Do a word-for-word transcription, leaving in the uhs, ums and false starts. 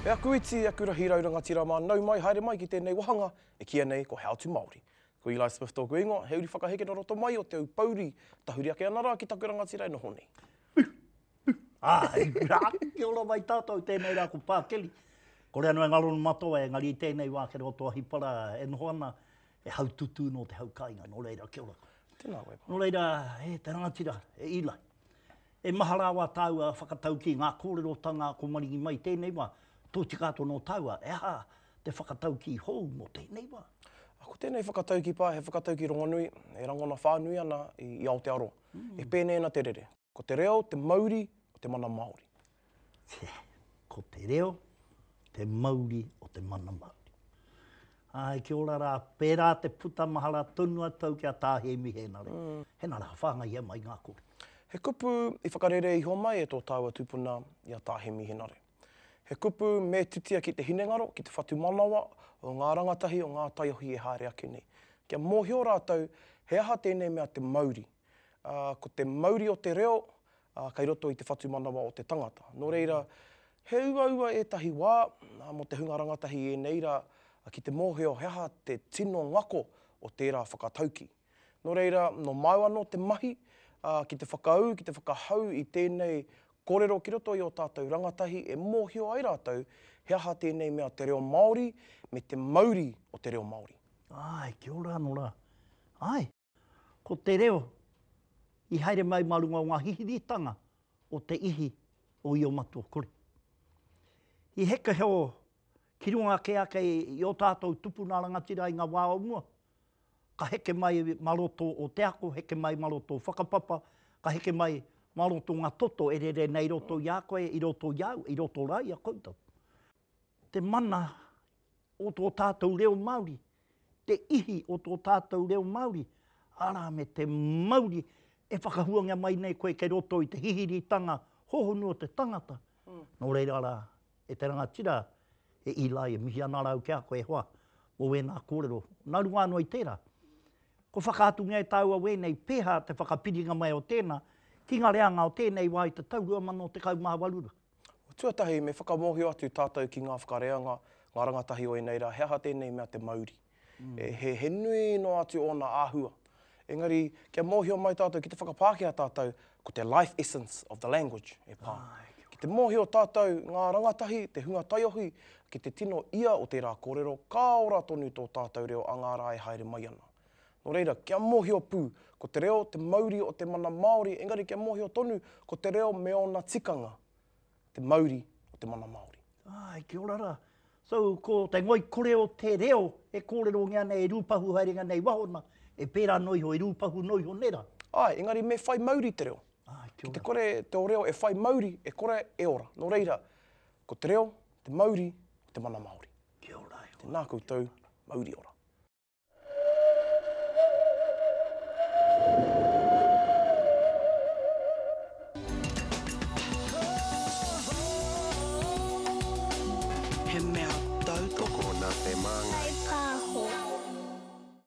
E aku iti, aku rahi rau rangatira mā, nau mai, haere mai ki tēnei wahanga e kīia nei ko How to Māori. Ko Eli Smith tōku ingoa, he uri whakaheke nō roto mai o Te Aupōuri, tahuri ake ana rā ki taku rangatira e noho nei. Āe, rā, kia ora mai tātou, tēnei rā ko Pākeli. Kore anō e ngaro no matoa, engari i tēnei wā ki roto Ahipara e noho ana, e haututū nō te hau kāinga, nō reira, kia ora. Tēnā koe, Pā. Nō reira, e te rangatira, e Eli, e maha rā wā tāua whakataukī ngā kōrerotanga ko maringi mai tēnei wā, tōtika atu nō tāua, e aha te whakataukī hou mō tēnei wā? Ko tēnei whakataukī, Pā, he whakataukī rongonui, e rangona whānui ana i, i Aotearoa. Mm. E pēnei ana te rere. Ko te reo, te mauri o te mana Māori. Tē, ko te reo, te mauri o te mana Māori. Āe, kia ora rā, pērā te puta mahara tonu a tau ki a Tā Hēmi Hēnare. Mm. Hena rā, whāngaia mai ngā kore. He kupu i whakarere iho mai e tō tāua tupuna i a Tā Hēmi Hēnare. He kupu me titia ki te hinengaro, ki te whatumanawa o ngā rangatahi o ngā taiohi e haere ake nei. Kia mōhio rātou he aha tēnei mea te mauri. Uh, ko te mauri o te reo uh, kei roto i te whatumanawa o te tangata. Nō reira, he uaua ētahi wā uh, mō te hunga rangatahi i ēnei rā uh, ki te mōhio he aha te tino ngako o tērā whakatauki. Nō reira, nō māu anō te mahi uh, ki te whakaū, ki te whakahau i tēnei kōrero ki roto i o tātou rangatahi e mōhio ai rātou he aha tēnei mea te reo Māori me te mauri o te reo Māori. Āe, kia ora anō rā. Āe, ko te reo i haere mai mā runga o ngā hihiritanga o te ihi o Io Matua Kore. I heke heo ki runga ake ake i o tātou tupuna rangatira i ngā wā o mua, ka heke mai mā roto o te ako, heke mai mā roto o whakapapa, ka heke mai mā roto ngā toto e rere nei i roto i a koe, i roto i au, i roto rā i a koutou. Te mana o tō tātou reo Māori, te ihi o tō tātou reo Māori, arā me te mauri e whakahuangia mai nei koe kei roto i te hihiritanga hohonu o te tangata. Mm. Nō reira rā, e te rangatira, e Eli, e mihi ana rau ki a koe e hoa, mō wēnā kōrero. Nā runga anō i tērā, ko whakaatungia e tāua wēnei pēhā te whakapiringa mai o tēnā ki ngā reanga o tēnei wā i te tau rua mano tekau mā waru rā. Tuatahi, me whakamōhio atu tātou ki ngā whakareanga, ngā rangatahi o ēnei rā, he aha tēnei mea te mauri. Mm. E, he, he nui noa atu ōna āhua. Engari, kia mōhio mai tātou, ki te whakapākehā tātou, ko te life essence of the language e pā. Ai, ki te mōhio tātou ngā rangatahi, te hunga taiohi, ki te tino ia o tērā kōrero, ka ora tonu tō tātou reo a ngā rā e haere mai ana. Nō reira, kia mōhio pū, ko te reo te mauri o te mana Māori, engari kia mōhio tonu, ko te reo me ōna tikanga, te mauri o te mana Māori. Ai, kia ora rā. So, ko te ngoikore o te reo e kōrerongia nei, e rūpahu haerenga nei wahona, e pērā noa iho, e rūpahu noa iho nei rā. Ai, engari me whai mauri te reo. Ai, kia ora. Ki te kore te reo e whai mauri, e kore e ora. Nō reira, ko te reo, te mauri, o te mana Māori. Kia ora e hoa. Tēnā koutou, mauri ora.